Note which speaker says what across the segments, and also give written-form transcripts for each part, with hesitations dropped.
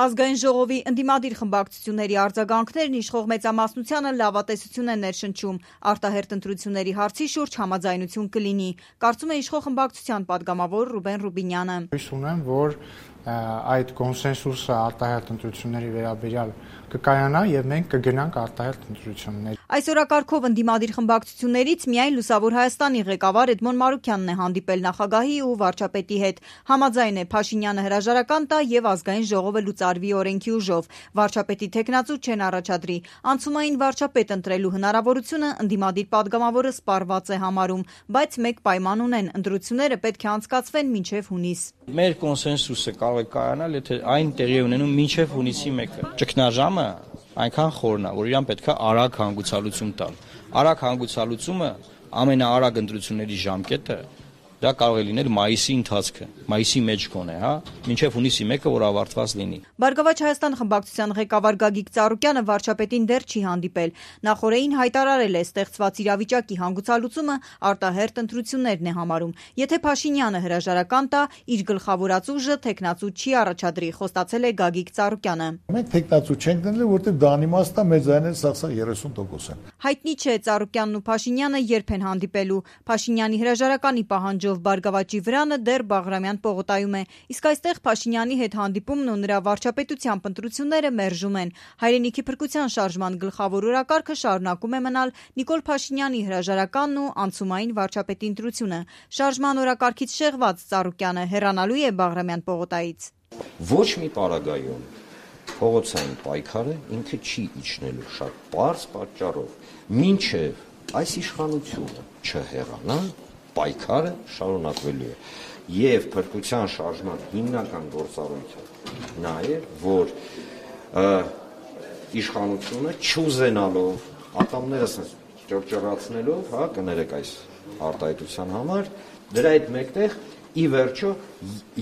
Speaker 1: Ազգային ժողովի ընդդիմադիր խմբակցությունների արձագանքներն իշխող մեծամասնությանը լավատեսություն են ներշնչում, արտահերթ ընտրությունների հարցի շուրջ համաձայնություն կլինի, կարծում է իշխող խմբակցության падգամավոր Ռուբեն Ռուբինյանը։
Speaker 2: Հույս ունեմ, որ այդ կոնսենսուսը արտահերթ ընտրությունների վերաբերյալ կկայանա եւ մենք կգնանք արտահերթ ընտրություններ։
Speaker 1: Այս օրակարգով ընդդիմադիր խմբակցություններից միայն Լուսավոր Հայաստանի ղեկավար Էդմոն Մարուքյանն է հանդիպել նախագահի ու վարչապետի հետ։ Համաձայն է Փաշինյանը հրաժարական տա եւ ազգային ժողովը լուծարվի օրենքի ուժով։ Վարչապետի թեկնածու չեն առաջադրի։ Անցումային վարչապետ ընտրելու հնարավորությունը ընդդիմադիր падգամավորը սպառված է համարում, բայց մեկ պայման ունեն՝ ընտրությունները պետք է անցկացվեն մինչեւ հունիս։
Speaker 3: Մեր կոնսենսուսը կարող է կայանալ, եթե այն տեղի ունենում մինչև հունիսի 1-ը։ Ճգնաժամը այնքան խորն է, որ իրան պետք է արագ հանգուցալուծում տալ։ Արագ հանգուցալուծումը ամենաարագ ընտրությունների ժամկետը դա կարող է լինել մայիսի ընթացքը, մայիսի մեջ կոնե, մինչև հունիսի 1-ը, որ ավարտված լինի։
Speaker 1: Բարգավաճ Հայաստան խմբակցության ղեկավար Գագիկ Ծառուկյանը վարչապետին դեռ չի հանդիպել։ Նախորդին հայտարարել է ստեղծված իրավիճակի հանգուցալուծումը արտահերթ ընտրություններն է համարում։ Եթե Փաշինյանը հրաժարական տա, իր գլխավորած ուժը թեկնածու չի առաջադրի, խոստացել է Գագիկ Ծառուկյանը։
Speaker 4: Մենք թեկնածու չենք դնել, որտեղ դա անիմաստ է, մեծ այն սա 30% են։
Speaker 1: Հայտնի չէ Ծառուկյանն ու Փաշինյանը երբ են հանդիպելու։ Փաշինյանի հրաժարականի պահանջով Բարգավաճի վրանը դեռ Բաղրամյան պողոտայում է, իսկ այստեղ Փաշինյանի հետ հանդիպումն ու նրա վարչապետությամբ ընտրությունները մերժում են։ Հայրենիքի փրկության շարժման գլխավոր օրակարգը շարունակում է մնալ Նիկոլ Փաշինյանի հրաժարականն ու անցումային վարչապետի ընտրությունը։ Շարժման օրակարգից շեղված Ծառուկյանը հեռանալու է Բաղրամյան պողոտայից։
Speaker 5: Ոչ մի պարագայում փողոցային պայքարը ինքը չի իջնելու շատ պարզ պատճառով, մինչև այս իշխանությունը չհեռանա, պայքարը շարունակվելու է եւ փրկության շարժման հիմնական գործառույթը նա է, որ իշխանությունը չուզենալով ատամներս ճռճռացնելով, կներեք այս արտահայտության համար, դրա հետ մեկտեղ ի վերջո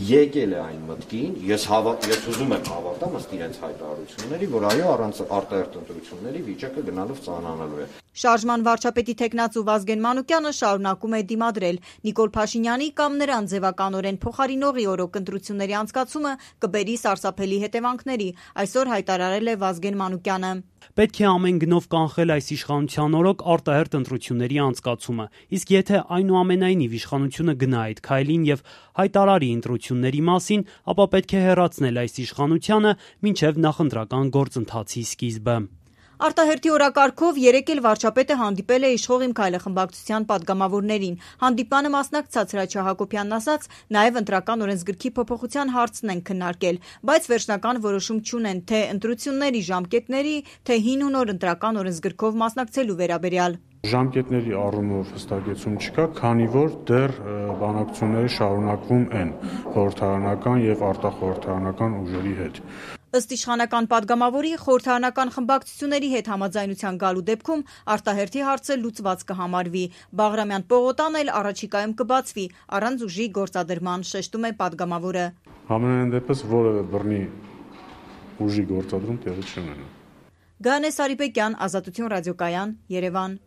Speaker 5: եկել է այն մտքին, ես ուզում եմ հավատամ ըստ իրենց հայտարարությունների, որ այո, առանց արտահերթ ընտրությունների վիճակը գնալով ծանրանալու է։
Speaker 1: Շարժման վարչապետի թեկնածու Վազգեն Մանուկյանը շարունակում է դիմադրել։ Նիկոլ Փաշինյանի կամ նրան ձևականորեն փոխարինողի օրոք ընտրությունների անցկացումը կբերի սարսափելի հետևանքների, այսօր հայտարարել է Վազգեն Մանուկյանը։
Speaker 6: Պետք է ամեն գնով կանխել այս իշխանության օրոք արտահերթ ընտրությունների անցկացումը, իսկ եթե այնուամենայնիվ իշխանությունը գնա այդ քայլին եւ հայտարարի ընտրությունների մասին, ապա պետք է հեռացնել այս իշխանությանը մինչեւ նախընտրական գործընթացի սկիզբը։
Speaker 1: Արտահերթի օրակարգով երեկ էլ վարչապետը հանդիպել է իշխող Իմ քայլը խմբակցության падգամավորներին։ Հանդիպանը մասնակցած Հրաչյա Հակոբյանն ասաց, նաև ընտրական օրենսգրքի փոփոխության հարցն են քննարկել, բայց վերջնական որոշում չունեն թե ընտրությունների ժամկետների, թե հին ու նոր ընտրական օրենսգրքով մասնակցելու վերաբերյալ։
Speaker 7: Ժամկետների առումով հստակեցում չկա, քանի որ դեռ բանակցությունները շարունակվում են խորհրդարանական եւ արտախորհրդարանական ուժերի հետ։
Speaker 1: Ըստ իշխանական падգամավորի խորհրդարանական խմբակցությունների հետ համաձայնության գալու դեպքում արտահերթի հարցը լուծված կհամարվի։ Բաղրամյան պողոտան էլ առաջիկայում կբացվի առանց ուժի գործադրման, շեշտում է падգամավորը։
Speaker 7: Համենայն դեպս որևէ բռնի ուժի գործադրում տեղի չունենա։
Speaker 1: Գայանե Սարիբեկյան, Ազատություն ռադիոկայան, Երևան։